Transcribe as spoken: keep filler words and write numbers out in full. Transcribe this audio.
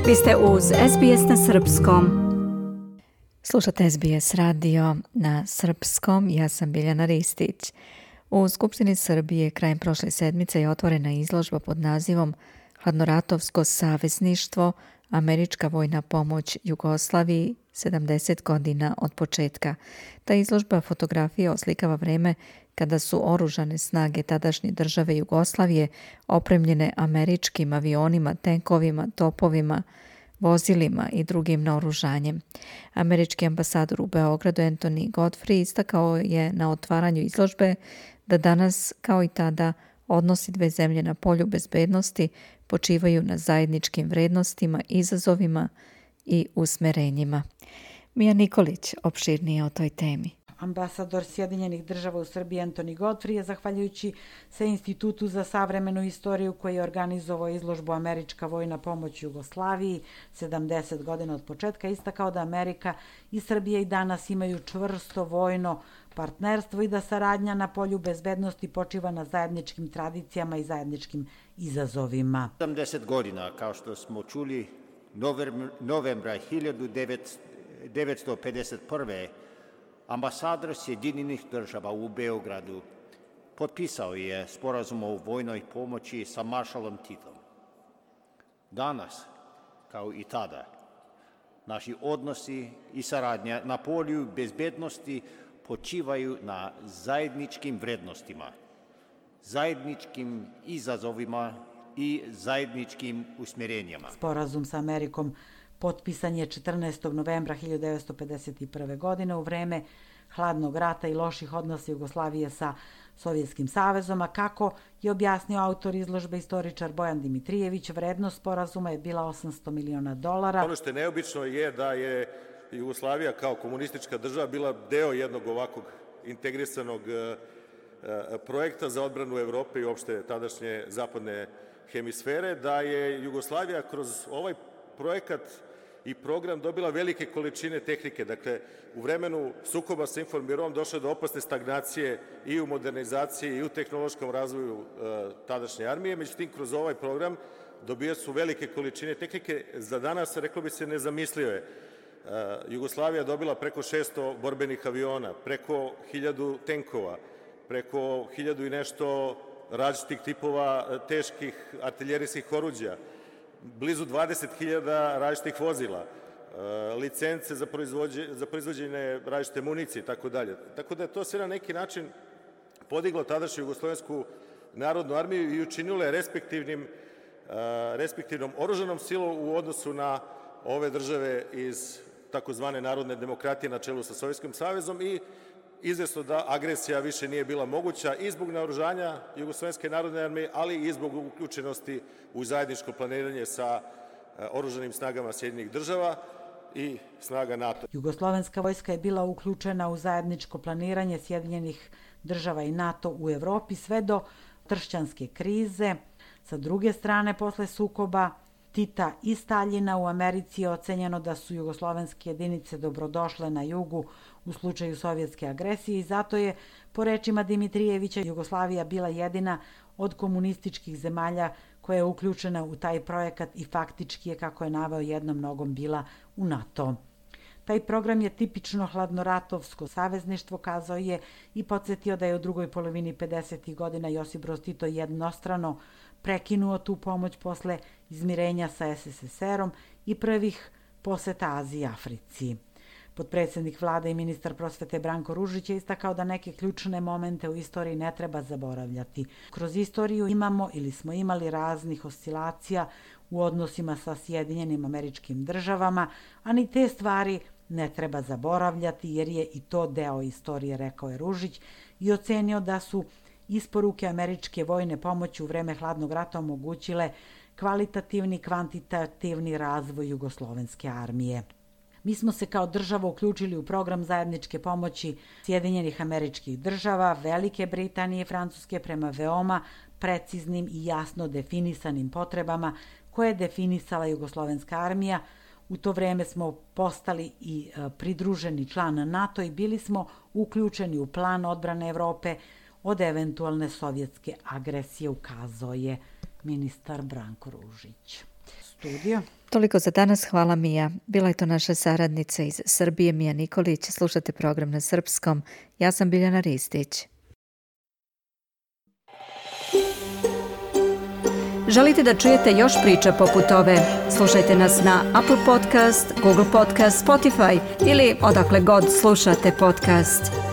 Vi ste uz S B S na srpskom. Slušate S B S radio na srpskom, ja sam Biljana Ristić. U Skupštini Srbije krajem prošle sedmice je otvorena izložba pod nazivom Hladnoratovsko savezništvo, američka vojna pomoć Jugoslaviji, sedamdeset godina od početka. Ta izložba fotografije oslikava vreme kada su oružane snage tadašnje države Jugoslavije opremljene američkim avionima, tenkovima, topovima, vozilima i drugim naoružanjem. Američki ambasador u Beogradu Anthony Godfrey istakao je na otvaranju izložbe da danas, kao i tada, odnosi dve zemlje na polju bezbednosti počivaju na zajedničkim vrednostima, izazovima i usmerenjima. Mija Nikolić opširnije o toj temi. Ambasador Sjedinjenih država u Srbiji Anthony Godfrey je, zahvaljujući se Institutu za savremenu istoriju koji je organizovao izložbu Američka vojna pomoć Jugoslaviji, sedamdeset godina od početka, istakao da Amerika i Srbija i danas imaju čvrsto vojno partnerstvo i da saradnja na polju bezbednosti počiva na zajedničkim tradicijama i zajedničkim izazovima. sedamdeset godina, kao što smo čuli, novembra hiljadu devetsto pedeset prve. Ambasador Sjedinjenih država u Beogradu potpisao je sporazum o vojnoj pomoći sa maršalom Titom. Danas, kao i tada, naši odnosi i saradnja na polju bezbednosti počivaju na zajedničkim vrednostima, zajedničkim izazovima i zajedničkim usmjerenjima. Sporazum sa Amerikom potpisan je četrnaestog novembra hiljadu devetsto pedeset prve. godine u vreme hladnog rata i loših odnosa Jugoslavije sa Sovjetskim savezom, a kako je objasnio autor izložbe istoričar Bojan Dimitrijević, vrednost sporazuma je bila osamsto miliona dolara. Ono što je neobično je da je Jugoslavija kao komunistička država bila deo jednog ovakvog integrisanog projekta za odbranu Evrope i uopšte tadašnje zapadne hemisfere, da je Jugoslavija kroz ovaj projekat i program dobila velike količine tehnike. Dakle, u vremenu sukoba sa Informirom došlo je do opasne stagnacije i u modernizaciji i u tehnološkom razvoju e, tadašnje armije. Međutim, kroz ovaj program dobija su velike količine tehnike. Za danas, reklo bi se, nezamislive. E, Jugoslavija dobila preko šesto borbenih aviona, preko hiljadu tenkova, preko hiljadu i nešto različitih tipova teških artiljerijskih oruđa, blizu dvadeset hiljada različitih vozila, licence za, za proizvođenje različite municije i tako dalje. Tako da je to sve na neki način podiglo tadašnju Jugoslovensku narodnu armiju i učinilo je respektivnim, respektivnom oružanom silom u odnosu na ove države iz takozvane narodne demokratije na čelu sa Sovjetskim savezom i izvesno da agresija više nije bila moguća i zbog naoružanja Jugoslovenske narodne armije, ali i zbog uključenosti u zajedničko planiranje sa oružanim snagama Sjedinjenih država i snaga NATO. Jugoslovenska vojska je bila uključena u zajedničko planiranje Sjedinjenih država i NATO u Evropi sve do tršćanske krize. Sa druge strane, posle sukoba Tita i Staljina u Americi je ocenjeno da su jugoslovenske jedinice dobrodošle na jugu u slučaju sovjetske agresije i zato je, po rečima Dimitrijevića, Jugoslavija bila jedina od komunističkih zemalja koja je uključena u taj projekat i faktički je, kako je naveo, jednom nogom bila u NATO. Taj program je tipično hladnoratovsko savezništvo, kazao je, i podsjetio da je u drugoj polovini pedesetih godina Josip Broz Tito jednostrano prekinuo tu pomoć posle izmirenja sa S S S R-om i prvih poseta Aziji i Africi. Potpredsjednik vlade i ministar prosvete Branko Ružić je istakao da neke ključne momente u istoriji ne treba zaboravljati. Kroz istoriju imamo ili smo imali raznih oscilacija u odnosima sa Sjedinjenim Američkim državama, a ni te stvari ne treba zaboravljati jer je i to deo istorije, rekao je Ružić i ocenio da su isporuke američke vojne pomoći u vreme hladnog rata omogućile kvalitativni i kvantitativni razvoj jugoslovenske armije. Mi smo se kao država uključili u program zajedničke pomoći Sjedinjenih Američkih država, Velike Britanije i Francuske prema veoma preciznim i jasno definisanim potrebama koje je definisala jugoslovenska armija. U to vreme smo postali i pridruženi član NATO i bili smo uključeni u plan odbrane Evrope od eventualne sovjetske agresije, ukazao je ministar Branko Ružić. Studio. Toliko za danas, hvala Mija. Bila je to naša saradnica iz Srbije, Mija Nikolić. Slušate program na srpskom. Ja sam Biljana Ristić. Želite da čujete još priča poput ove? Slušajte nas na Apple Podcast, Google Podcast, Spotify ili odakle god slušate podcast.